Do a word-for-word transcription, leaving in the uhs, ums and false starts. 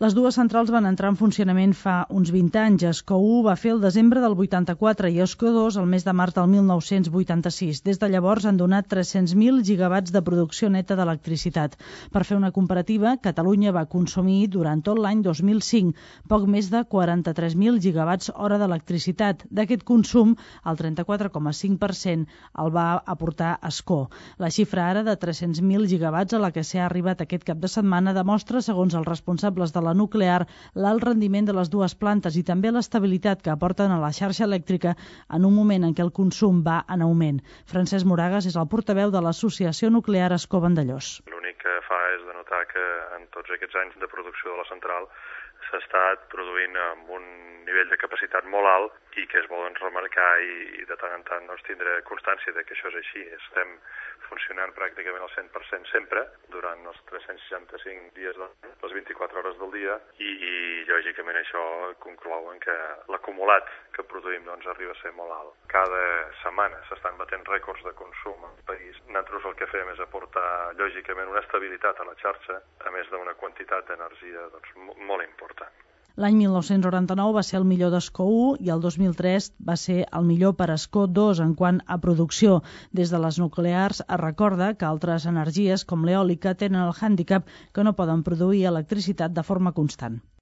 Les dues centrals van entrar en funcionament fa uns vint anys. Escó u va fer el desembre del vuitanta-quatre i Escó dos el mes de març del mil nou-cents vuitanta-sis. Des de llavors han donat tres-cents mil gigawatts de producció neta d'electricitat. Per fer una comparativa, Catalunya va consumir durant tot l'any dos mil cinc poc més de quaranta-tres mil gigawatts hora d'electricitat. D'aquest consum, el trenta-quatre coma cinc per cent el va aportar Escó. La xifra ara de tres-cents mil gigawatts a la que s'ha arribat aquest cap de setmana demostra, segons els responsables de la nuclear, l'alt rendiment de les dues plantes i també l'estabilitat que aporten a la xarxa elèctrica en un moment en què el consum va en augment. Francesc Moragas és el portaveu de l'Associació Nuclear Escó Vandellòs. L'únic que fa és denotar que en tots aquests anys de producció de la central s'ha estat produint amb un nivell de capacitat molt alt i que és bo doncs, remarcar i, i de tant en tant doncs, tindre constància de que això és així. Estem funcionant pràcticament al cent per cent sempre durant els tres-cents seixanta-cinc dies de l'any, les vint-i-quatre hores del dia i, i lògicament això conclou en que l'acumulat que produïm doncs, arriba a ser molt alt. Cada setmana s'estan batent rècords de consum al país. Nosaltres el que fem és aportar lògicament una estabilitat a la xarxa, a més d'una quantitat d'energia doncs, molt important. L'any mil nou-cents noranta-nou va ser el millor d'Escó u i el dos mil tres va ser el millor per Escó dos en quant a producció. Des de les nuclears es recorda que altres energies com l'eòlica tenen el hàndicap que no poden produir electricitat de forma constant.